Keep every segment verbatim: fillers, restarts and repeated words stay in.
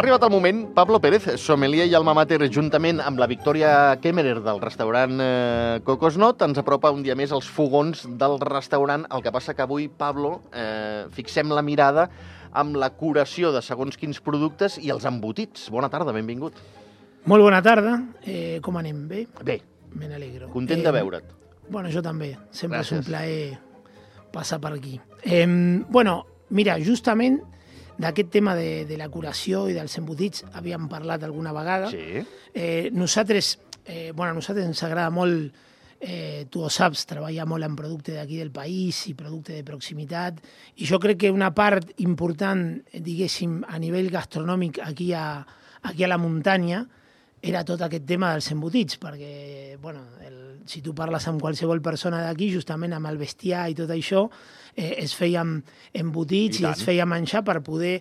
arribat el moment, Pablo Pérez, sommelier i alma mater, juntament amb la Victòria Kemmerer del restaurant eh, Cocosnot, ens apropa un dia més als fogons del restaurant. El que passa que avui, Pablo, eh, fixem la mirada amb la curació de segons quins productes i els embotits. Bona tarda, benvingut. Molt bona tarda. Eh, com anem? Bé? Bé. Me n'alegro. Content de veure't. Bueno, jo també. Sempre Gràcies. és un plaer passar per aquí. Eh, bueno, mira, justament d'aquest tema de, de la curació i dels embotits havíem parlat alguna vegada. Sí. Eh, nosaltres, eh, bueno, a nosaltres ens agrada molt, eh, tu ho saps, treballar molt en producte d'aquí del país i producte de proximitat, i jo crec que una part important, diguéssim, a nivell gastronòmic aquí a, aquí a la muntanya era tot aquest tema dels embotits, perquè, bueno, el, si tu parles amb qualsevol persona d'aquí, justament amb el bestiar i tot això, eh, es feien embotits i, i es feia menjar per poder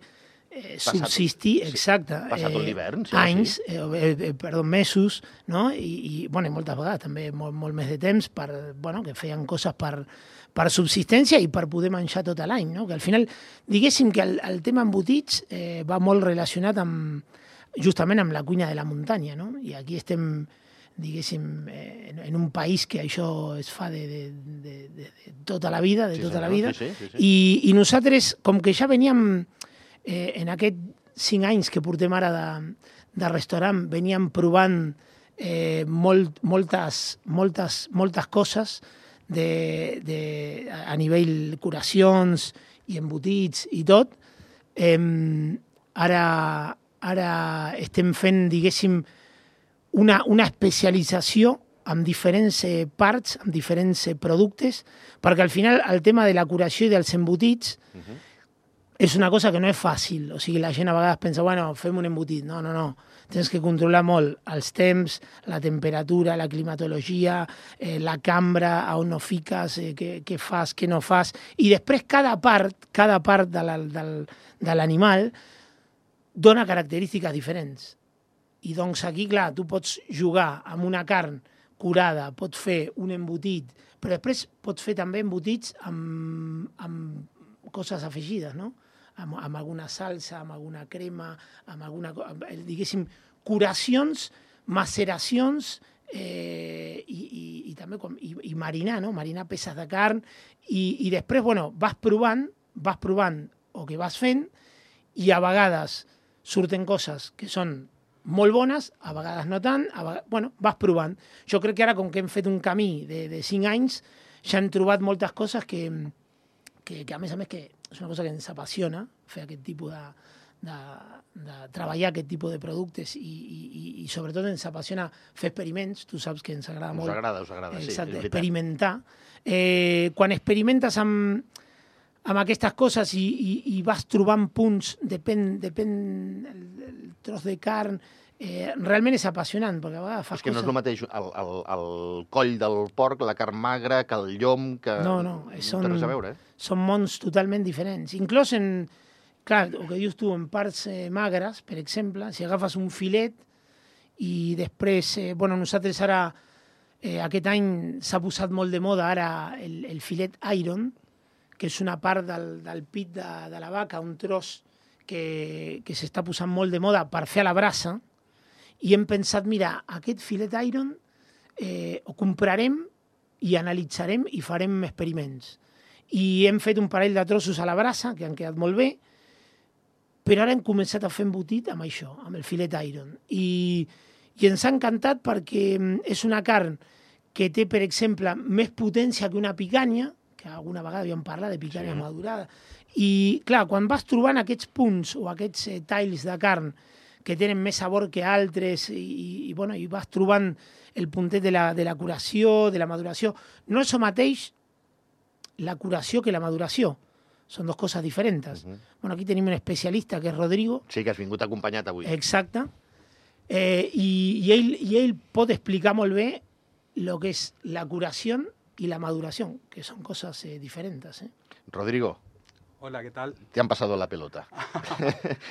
eh, subsistir, sí, exacte, passar tot eh, l'hivern, sí, anys, sí. Eh, eh, perdó, mesos, no? I, i bueno, moltes vegades també molt, molt més de temps per, bueno, que feien coses per, per subsistència i per poder menjar tot l'any, no? Que al final, diguéssim que el, el tema embotits eh, va molt relacionat amb, justament amb la cuina de la muntanya, no? I aquí estem, diguéssim, eh, en un país que això es fa de, de, de, de, de tota la vida, de sí, tota senyor, la vida, sí, sí, sí. I, i nosaltres, com que ja veníem eh, en aquests cinc anys que portem ara de, de restaurant, veníem provant eh, molt, moltes, moltes, moltes coses de, de, a nivell curacions i embotits i tot, eh, ara... Ara estem fent, diguéssim, una, una especialització en diferents eh, parts, en diferents eh, productes, perquè al final el tema de la curació i dels embotits uh -huh. és una cosa que no és fàcil. O sigui, la gent a vegades pensa, bueno, fem un embotit. No, no, no. Tens que controlar molt els temps, la temperatura, la climatologia, eh, la cambra, a on no fiques, eh, què, què fas, què no fas. I després cada part, cada part de la, del, de l'animal dona característiques diferents. I doncs aquí, clar, tu pots jugar amb una carn curada, pots fer un embotit, però després pots fer també embotits amb, amb coses afegides, no? Amb, amb alguna salsa, amb alguna crema, amb alguna... Amb, diguéssim, curacions, maceracions eh, i, i, i també com, i, i marinar, no? Marinar peces de carn i, i després, bueno, vas provant, vas provant o que vas fent i a vegades surten coses que són molt bones, a vegades no tant, a vegades, bueno, vas provant. Jo crec que ara, com que hem fet un camí de, de cinc anys, ja hem trobat moltes coses que, que, que, a més a més, que és una cosa que ens apassiona, fer aquest tipus de, de, de treballar aquest tipus de productes i, i, i sobretot ens apassiona fer experiments. Tu saps que ens agrada us molt. Us agrada, us agrada, exacte, sí, experimentar. Eh, quan experimentes amb amb aquestes coses i, i, i vas trobant punts, depèn, depèn el, el tros de carn, eh, realment és apassionant, perquè a vegades fas és que coses... no és el mateix el, el, el coll del porc, la carn magra, que el llom, que... No, no, són, no té res a veure, eh? Són mons totalment diferents. Inclús en, clar, el que dius tu, en parts eh, magres, per exemple, si agafes un filet i després, eh, bueno, nosaltres ara, eh, aquest any s'ha posat molt de moda ara el, el filet iron, que és una part del, del pit de, de la vaca, un tros que, que s'està posant molt de moda per fer a la brasa, i hem pensat, mira, aquest filet iron eh, ho comprarem i analitzarem i farem experiments. I hem fet un parell de trossos a la brasa, que han quedat molt bé, però ara hem començat a fer embotit amb això, amb el filet iron. I, i ens ha encantat perquè és una carn que té, per exemple, més potència que una picanya, que alguna vegada havíem parlat de picanya sí. madurada. I, clar, quan vas trobant aquests punts o aquests eh, talls de carn que tenen més sabor que altres i, i, bueno, i vas trobant el puntet de la, de la curació, de la maduració, no és el mateix la curació que la maduració. Són dues coses diferents. Uh -huh. Bueno, aquí tenim un especialista, que és Rodrigo. Sí, que has vingut acompanyat avui. Exacte. Eh, i, i, ell, I ell pot explicar molt bé el que és la curació y la maduración, que son cosas eh, diferentes. ¿eh? Rodrigo. Hola, ¿qué tal? Te han pasado la pelota.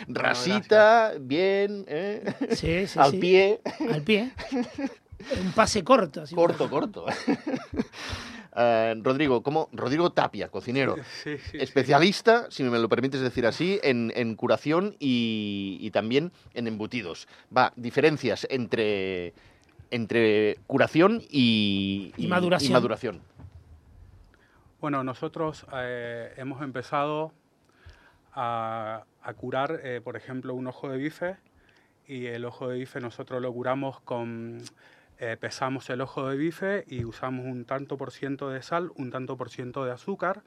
Rasita, bueno, bien, ¿eh? Sí, sí, al sí. pie. Al pie. Un pase corto. Así corto, corto. Eh, Rodrigo, ¿cómo? Rodrigo Tapia, cocinero, Sí, sí, especialista, sí. si me lo permites decir así, en, en curación y, y también en embutidos. Va, diferencias entre, entre curación y, Y y- maduración. y maduración. Bueno, nosotros eh, hemos empezado a, a curar, eh, por ejemplo, un ojo de bife, y el ojo de bife nosotros lo curamos con... eh, pesamos el ojo de bife y usamos un tanto por ciento de sal, un tanto por ciento de azúcar,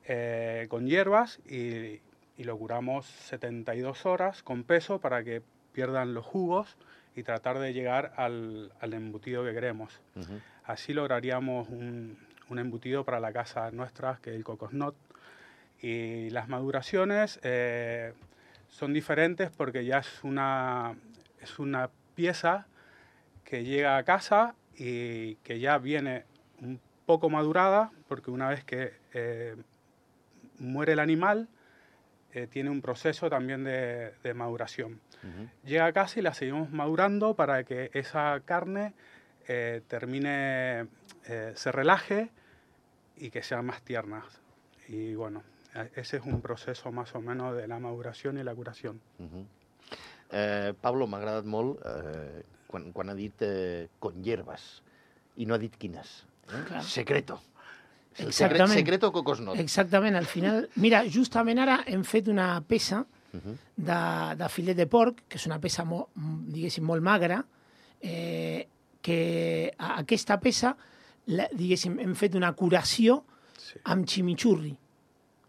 eh, con hierbas, y, y lo curamos setenta y dos horas con peso para que pierdan los jugos y tratar de llegar al, al embutido que queremos. Uh-huh. Así lograríamos un, un embutido para la casa nuestra, que es el Cocosnot. Y las maduraciones eh, son diferentes porque ya es una, es una pieza que llega a casa y que ya viene un poco madurada, porque una vez que eh, muere el animal, eh, tiene un proceso también de, de maduración. Uh-huh. Llega a casa y la seguimos madurando para que esa carne eh, termine, eh, se relaje y que sea más tierna. Y bueno, ese es un proceso más o menos de la maduración i la curació. Uh-huh. eh, Pablo, m'ha agradat molt eh, quan, quan ha dit eh, con hierbas i no ha dit quines. Eh? Clar. Secreto. Exactament. Secreto Cocosnot. Exactament, al final... Mira, justament ara hem fet una peça uh-huh. de, de filet de porc, que és una peça, molt, diguéssim, molt magra, eh, que a aquesta peça, la, diguéssim, hem fet una curació Sí. amb chimichurri.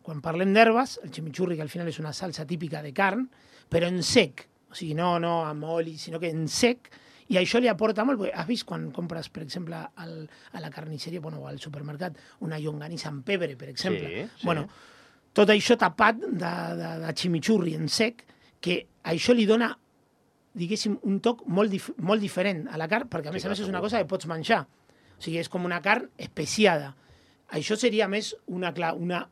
Quan parlem d'herbes, el chimichurri, que al final és una salsa típica de carn, però en sec, o sigui, no, no amb oli, sinó que en sec, i això li aporta molt, perquè has vist quan compres, per exemple, al, a la carnisseria, bueno, o al supermercat, una llonganissa amb pebre, per exemple. Sí, sí. Bueno, tot això tapat de, de, de chimichurri en sec, que això li dona, diguéssim, un toc molt, dif molt diferent a la carn, perquè a més Sí, a més clar, és una segur. cosa que pots menjar. O sigui, és com una carn especiada. Això seria més una, clar, una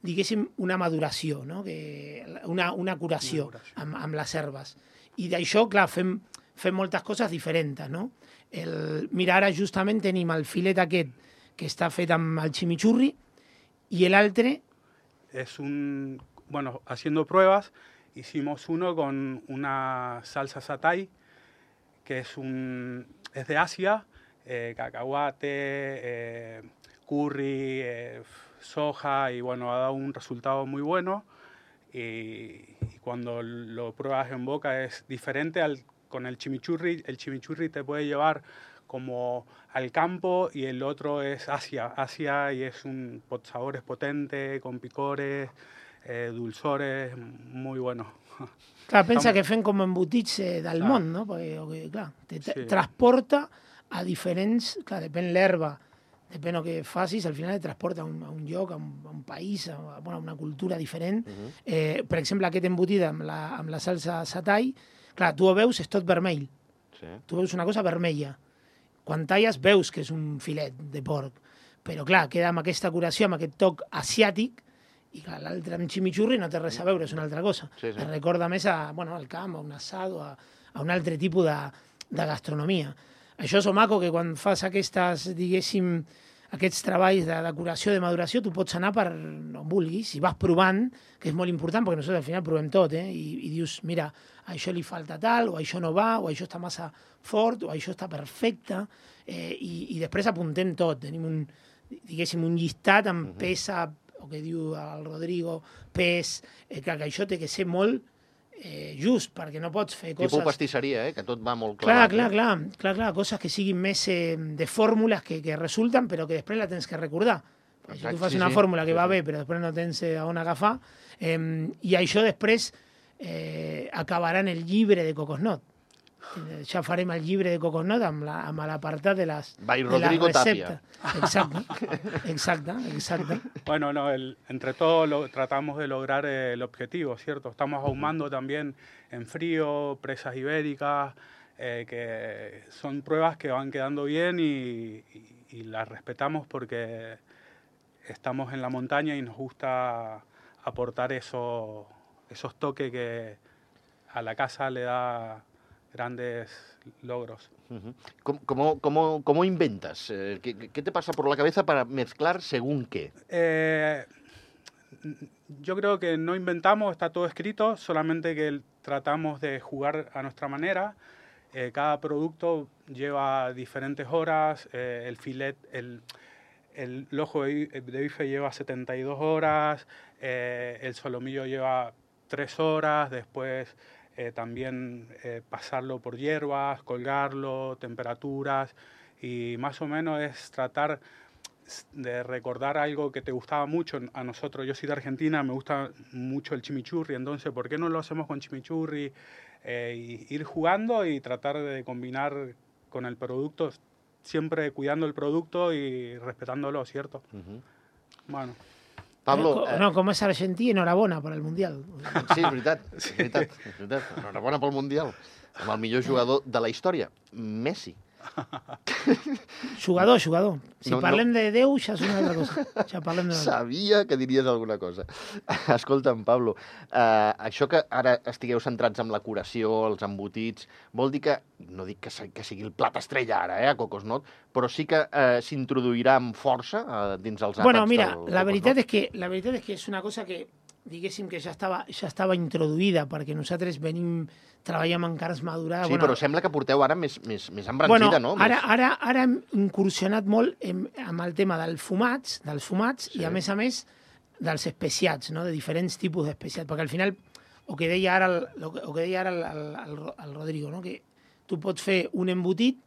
diguéssim, una maduració, no? que, una, una curació, Una curació. amb, amb les herbes. I d'això, clar, fem, fem moltes coses diferents, no? El, mira, ara justament tenim el filet aquest que està fet amb el chimichurri i l'altre... Es un, bueno, haciendo pruebas, hicimos uno con una salsa satay, que es, un, es de Asia, eh, cacahuate, eh, curry, eh, soja, y bueno, ha dado un resultado muy bueno. Y, y cuando lo pruebas en boca es diferente al, con el chimichurri. El chimichurri te puede llevar como al campo y el otro es Asia. Asia y es un pot- sabores potente, con picores, eh, dulzores, muy bueno. Clar, pensa Estamos- que fem com embotits eh, del Clar. món, no? Perquè, o que, clar, te te Sí. transporta a diferents... Clar, depèn l'herba, depèn el que facis, al final et transporta a un, a un lloc, a un, a un país, a, a, bueno, a una cultura diferent. Uh-huh. eh, per exemple, aquest embotit amb la, amb la salsa satay, clar, tu ho veus, és tot vermell. Sí. Tu veus una cosa vermella. Quan talles veus que és un filet de porc, però clar, queda amb aquesta curació, amb aquest toc asiàtic, i clar, l'altre amb chimichurri no té res a veure, és una altra cosa. Sí, sí. Es recorda més a, bueno, al camp, a un assado, a, a un altre tipus de, de gastronomia. Això és maco, que quan fas aquestes, diguéssim, aquests treballs de decoració, de maduració, tu pots anar per on vulguis i vas provant, que és molt important, perquè nosaltres al final provem tot, eh? I, i dius, mira, a això li falta tal, o això no va, o això està massa fort, o això està perfecte, eh, i, i després apuntem tot. Tenim un, diguéssim, un llistat amb Mhm. pesa, o que diu el Rodrigo, pes, eh, que, que això té que ser molt eh, just, perquè no pots fer Tipus coses... pastisseria, eh? Que tot va molt Clar, clar. clar, clar, clar, clar, coses que siguin més eh, de fórmules que, que resulten, però que després la tens que recordar. Perquè si Exacte, tu fas sí, una sí. fórmula que Sí, va sí. bé, però després no tens eh, on agafar, eh, i això després eh, acabarà en el llibre de Cocosnot. Eh, Ja farem el llibre de Cocosnot amb la- amb l'apartat de les, By de les Rodrigo Tapia. receptes. Exacte, exacte, exacte. Bueno, no, el- entre todos lo, tratamos de lograr eh, el objetivo, ¿cierto? Estamos ahumando también en frío, presas ibéricas, eh, que son pruebas que van quedando bien y, y- y las respetamos porque estamos en la montaña y nos gusta aportar eso, esos toques que a la casa le da grandes logros. Uh-huh. ¿Cómo, cómo, cómo, ¿Cómo inventas? Eh, ¿qué, ¿Qué te pasa por la cabeza para mezclar según qué? Eh, yo creo que no inventamos, está todo escrito, solamente que tratamos de jugar a nuestra manera. Eh, cada producto lleva diferentes horas, eh, el filet, el, el, el ojo de, de bife lleva setenta y dos horas, eh, el solomillo lleva tres horas, después eh, también eh, pasarlo por hierbas, colgarlo, temperaturas, y más o menos es tratar de recordar algo que te gustaba mucho a nosotros. Yo soy de Argentina, me gusta mucho el chimichurri, entonces ¿por qué no lo hacemos con chimichurri? Eh, y ir jugando y tratar de combinar con el producto, siempre cuidando el producto y respetándolo, ¿cierto? Uh-huh. Bueno. Pablo... Eh, no, com és argentí, enhorabona per al Mundial. Sí, és veritat, és veritat, és veritat. Enhorabona pel Mundial. Amb el millor jugador de la història, Messi. Jugador, jugador. Si no, parlem no. de Déu, ja és una altra cosa. Ja parlem de... Sabia que diries alguna cosa. Escolta'm, Pablo, eh, això que ara estigueu centrats en la curació, els embotits, vol dir que, no dic que, que sigui el plat estrella ara, eh, a Cocosnot, però sí que eh, s'introduirà amb força eh, dins els àpats bueno, mira, del la veritat Cocosnot? és que la veritat és que és una cosa que, diguéssim, que ja estava, ja estava introduïda, perquè nosaltres venim, treballem en carns madurades. Sí, bueno, però sembla que porteu ara més, més, més embranzida, bueno, no? Ara, Més... ara, ara hem incursionat molt en, amb el tema dels fumats, dels fumats sí. I, a més a més, dels especiats, no? De diferents tipus d'especiats, perquè al final, el que deia ara el, el, que deia ara el, el, el, el Rodrigo, no? Que tu pots fer un embotit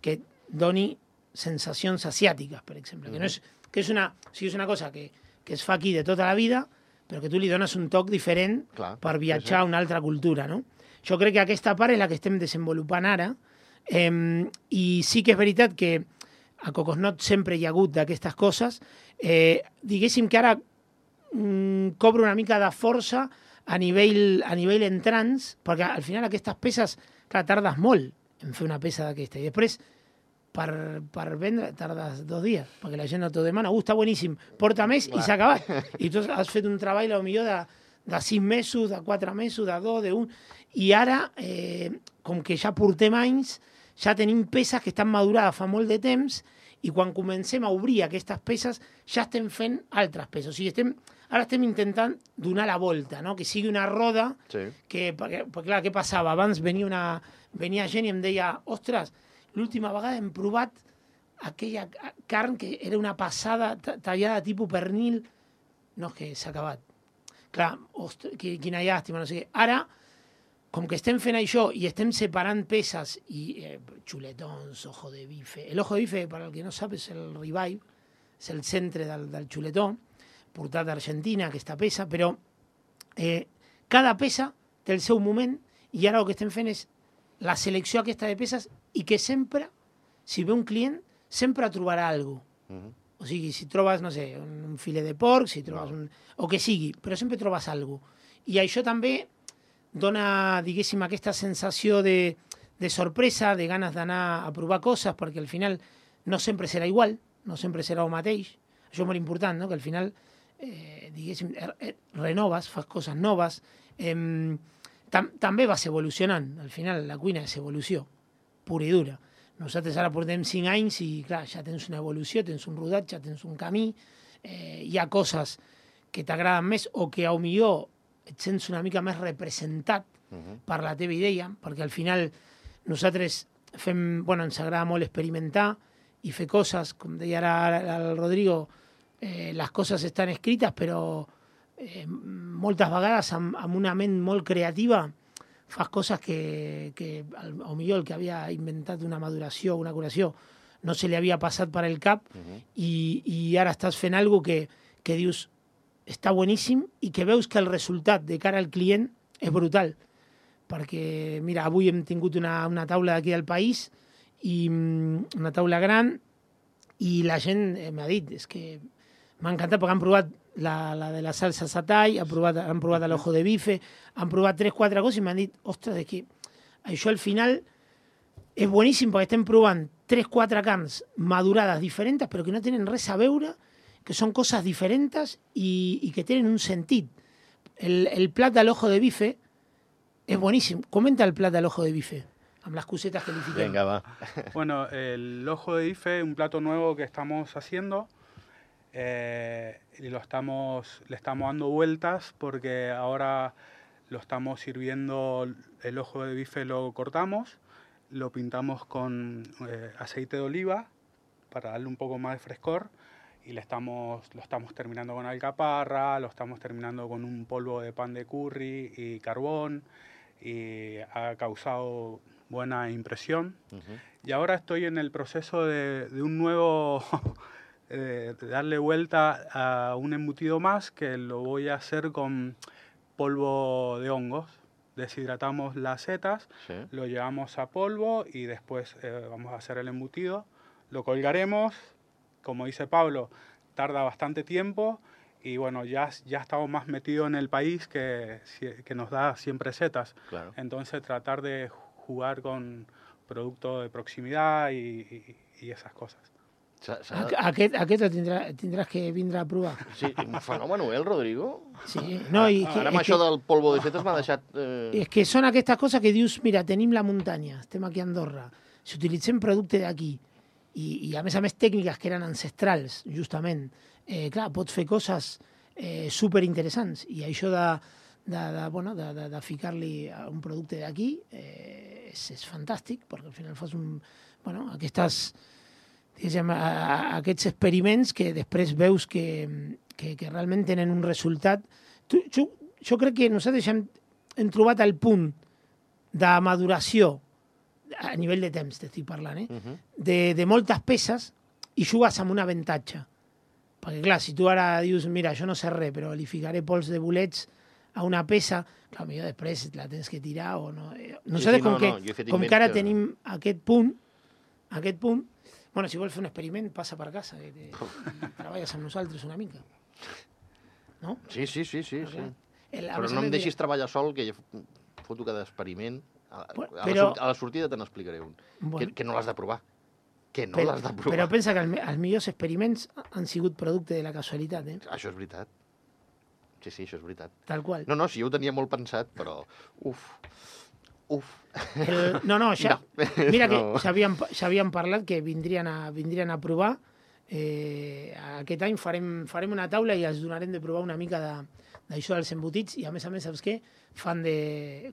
que doni sensacions asiàtiques, per exemple, que, no és, que és, una, o sigui, és una cosa que, que es fa aquí de tota la vida, però que tu li dones un toc diferent Clar, per viatjar sí, sí. a una altra cultura, no? Jo crec que aquesta part és la que estem desenvolupant ara, eh, i sí que és veritat que a Cocosnot sempre hi ha hagut d'aquestes coses. Eh, diguéssim que ara mm, cobra una mica de força a nivell, a nivell entrants, perquè al final aquestes peces, clar, tardes molt en fer una peça d'aquesta, i després per, per vendre tardes dos dies, perquè la gent no t'ho demana, uh, està boníssim, porta més i s'ha acabat. I tu has fet un treball potser de, de sis mesos, de quatre mesos, de dos, d'un... I ara, eh, com que ja portem anys, ja tenim peces que estan madurades fa molt de temps, i quan comencem a obrir aquestes peces ja estem fent altres peces. O sigui, estem, ara estem intentant donar la volta, no? Que sigui una roda, sí. que, perquè, perquè clar, què passava? Abans venia, una, venia gent i em deia, ostres, l'última vegada hem provat aquella carn que era una passada tallada tipus pernil. No, és que s'ha acabat. Clar, ostres, quina llàstima, no sé què. Ara, com que estem fent això i estem separant peces i eh, xuletons, ojo de bife... El ojo de bife, per al que no sap, és el ribeye, és el centre del, del xuletó, portat d'Argentina, aquesta peça, però eh, cada peça té el seu moment i ara el que estem fent és la selecció aquesta de peces i que sempre, si ve un client, sempre trobarà alguna cosa. Uh-huh. O sigui, si trobes, no sé, un filet de porc, si trobes un... o que sigui, però sempre trobes alguna cosa. I això també dona, diguéssim, aquesta sensació de, de sorpresa, de ganes d'anar a provar coses, perquè al final no sempre serà igual, no sempre serà el mateix. Això és molt important, no? Que al final, eh, diguéssim, renoves, fas coses noves. Eh, tam també vas evolucionant. Al final, la cuina és evolució, pura i dura. Nosaltres ara portem cinc anys i, clar, ja tens una evolució, tens un rodatge, tens un camí, eh, hi ha coses que t'agraden més o que, a lo millor, et sents una mica més representat uh-huh. per la teva idea, perquè al final nosaltres fem, bueno, ens agrada molt experimentar i fer coses, com deia ara el Rodrigo, eh, les coses estan escrites, però eh, moltes vegades amb, amb una ment molt creativa fas coses que, que al, al millor el que havia inventat una maduració o una curació no se li havia passat per el cap uh-huh. i, i ara estàs fent alguna que, que dius està boníssim i que veus que el resultat de cara al client és brutal. Perquè, mira, avui hem tingut una, una taula d'aquí del país, i una taula gran, i la gent eh, m'ha dit, és que m'ha encantat perquè han provat la, la de la salsa satay, han provat, han provat l'ojo de bife, han provat tres, quatre coses i m'han dit, ostres, és que això al final és boníssim perquè estem provant tres, quatre carns madurades diferents, però que no tenen res a veure, que són coses diferents i, i que tenen un sentit. El, el plat de l'ojo de bife és boníssim. Comenta el plat de l'ojo de bife. amb les cosetes que li fiquem. Vinga, va. Bueno, el ojo de bife, un plato nuevo que estamos haciendo, eh, y lo estamos, le estamos dando vueltas porque ahora lo estamos sirviendo, el ojo de bife lo cortamos, lo pintamos con eh, aceite de oliva para darle un poco más de frescor y le estamos, lo estamos terminando con alcaparra, lo estamos terminando con un polvo de pan de curry y carbón y ha causado buena impresión. Uh-huh. Y ahora estoy en el proceso de, de un nuevo, eh, de darle vuelta a un embutido más que lo voy a hacer con polvo de hongos. Deshidratamos las setas, sí. Lo llevamos a polvo y después eh, vamos a hacer el embutido. Lo colgaremos, como dice Pablo, tarda bastante tiempo y bueno, ya, ya estamos más metidos en el país que, que nos da siempre setas. Claro. Entonces tratar de jugar con productos de proximidad y, y, y esas cosas. Aquest, aquest el tindrà, tindràs que vindre a provar. Sí, un fenomen, eh, el Rodrigo? Sí, no, i que, ara amb això que, del polvo de setes m'ha deixat... Eh... És que són aquestes coses que dius, mira, tenim la muntanya, estem aquí a Andorra, si utilitzem producte d'aquí, i, i a més a més tècniques que eren ancestrals, justament, eh, clar, pots fer coses eh, superinteressants, i això de, de, de, bueno, de, de, de ficar-li un producte d'aquí eh, és, és fantàstic, perquè al final fas un... Bueno, aquestes... Diguem, a, a aquests experiments que després veus que, que, que realment tenen un resultat. Tu, jo, jo crec que nosaltres hem, hem trobat el punt de maduració a nivell de temps, t'estic parlant, eh? Uh-huh. de, de moltes peces i jugues amb un avantatge. Perquè, clar, si tu ara dius, mira, jo no sé res, però li ficaré pols de bolets a una peça, clar, millor després la tens que tirar o no. Nosaltres, sí, sí, com, no, que, no, com que ara que... tenim aquest punt, aquest punt, bueno, si vols fer un experiment, passa per casa, que te... treballes amb nosaltres una mica. No? Sí, sí, sí, sí. sí. El, però no em deixis dirà... treballar sol, que jo foto cada experiment. A, bueno, a, però... la, a la sortida te n'explicaré un. Bueno. Que, que no l'has de provar. Que no l'has de provar. Però pensa que el, els millors experiments han sigut producte de la casualitat, eh? Això és veritat. Sí, sí, això és veritat. Tal qual. No, no, sí, jo ho tenia molt pensat, però... Uf... Uf. El, no, no, ja, no. Mira que no. S'havien parlat que vindrien a, vindrien a provar. Eh, aquest any farem, farem una taula i els donarem de provar una mica d'això de, dels embotits i a més a més, saps què? Fan de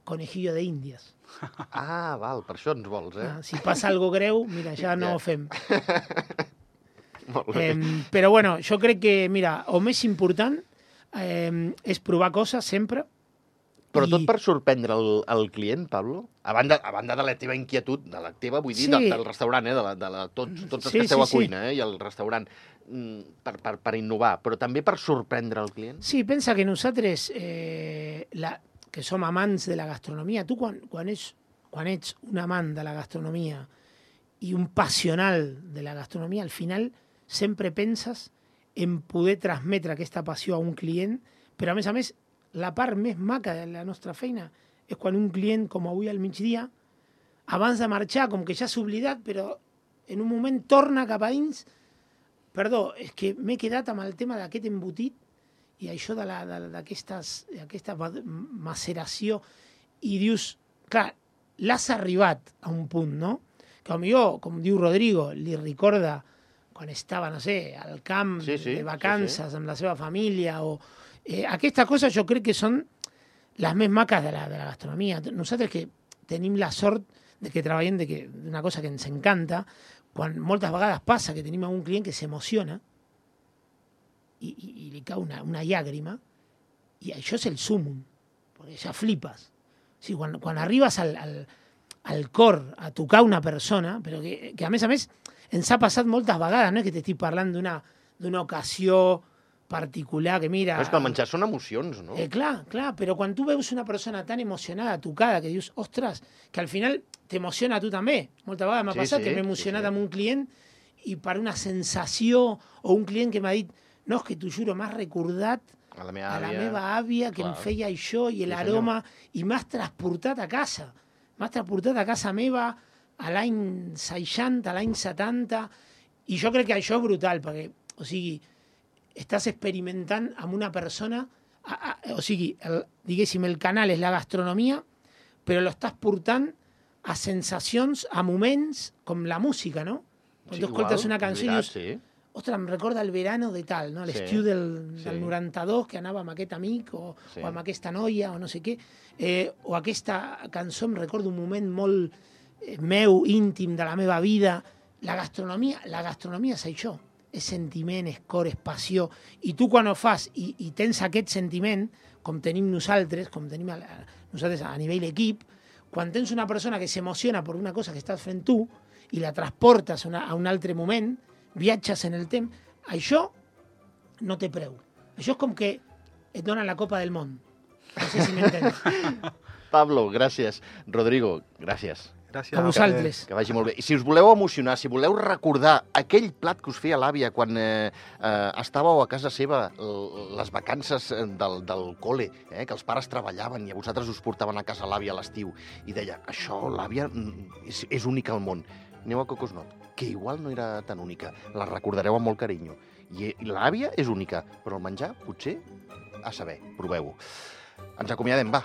conejillo de índies. Ah, val, per això ens vols, eh? Ah, si passa algo greu, mira, ja no ja. ho fem. Molt bé. Eh, però bueno, jo crec que, mira, el més important eh, és provar coses sempre. Però tot per sorprendre el, el client, Pablo? A banda, a banda de la teva inquietud, de la teva, vull dir, sí. de, del restaurant, eh? de la, de la, tots, tots els sí, que esteu sí, a cuina sí. eh? i al restaurant, per, per, per innovar, però també per sorprendre el client? Sí, pensa que nosaltres, eh, la, que som amants de la gastronomia, tu quan, quan, ets, quan ets un amant de la gastronomia i un passional de la gastronomia, al final sempre penses en poder transmetre aquesta passió a un client, però a més a més la part més maca de la nostra feina és quan un client, com avui al migdia, abans de marxar, com que ja s'ha oblidat, però en un moment torna cap a dins. Perdó, és que m'he quedat amb el tema d'aquest embotit i això d'aquesta maceració. I dius, clar, l'has arribat a un punt, no? Que potser, com diu Rodrigo, li recorda quan estava, no sé, al camp sí, sí, de vacances sí, sí. amb la seva família o... Eh, aquestes coses jo crec que són les més maques de la, de la gastronomia. Nosaltres que tenim la sort de que treballem d'una cosa que ens encanta, quan moltes vegades passa que tenim un client que s'emociona i, i, i li cau una, una llàgrima, i això és el súmum, perquè ja flipes. O sigui, quan, quan arribes al, al, al cor a tocar una persona, però que, que a més a més ens ha passat moltes vegades, no és que t'estic parlant d'una d'una ocasió particular, que mira... Però és que el menjar són emocions, no? Eh, clar, clar, però quan tu veus una persona tan emocionada, tocada, que dius, ostres, que al final t'emociona a tu també. Moltes vegades m'ha sí, passat sí, que m'he emocionat sí, sí. amb un client i per una sensació, o un client que m'ha dit, no, és que t'ho juro, m'has recordat a la meva a àvia, la meva àvia que clar. Em feia això i l'aroma, sí, i m'has transportat a casa. M'has transportat a casa meva a l'any seixanta, a l'any setanta, i jo crec que això és brutal, perquè, o sigui, estàs experimentant amb una persona, a, a, o sigui, el, diguéssim, el canal és la gastronomia, però l'estàs portant a sensacions, a moments, com la música, no? Quan Sí, tu escoltes igual, una cançó i veritat, dius, sí. ostres, em recorda el verano de tal, no? L'estiu Sí, del, sí. del noranta-dos, que anava amb aquest amic o, Sí. o amb aquesta noia o no sé què. Eh, o aquesta cançó em recorda un moment molt eh, meu, íntim de la meva vida. La gastronomia, la gastronomia és això, és sentiment, és cor, és passió. I tu quan ho fas i, i tens aquest sentiment, com tenim nosaltres, com tenim a, a, nosaltres a nivell equip, quan tens una persona que s'emociona per una cosa que estàs fent tu i la transportes a, una, a un altre moment, viatges en el temps, això no té preu. Això és com que et donen la Copa del Món. No sé si m'entens. Pablo, gràcies. Rodrigo, gràcies. Gràcies. A vosaltres. Que vagi molt bé. I si us voleu emocionar, si voleu recordar aquell plat que us feia l'àvia quan eh, eh, estàveu a casa seva, les vacances del, del col·le, eh, que els pares treballaven i a vosaltres us portaven a casa l'àvia a l'estiu, i deia, això, l'àvia és, és única al món. Aneu a Cocosnot, que igual no era tan única. La recordareu amb molt carinyo. I, i l'àvia és única, però el menjar, potser, a saber, proveu-ho. Ens acomiadem, va.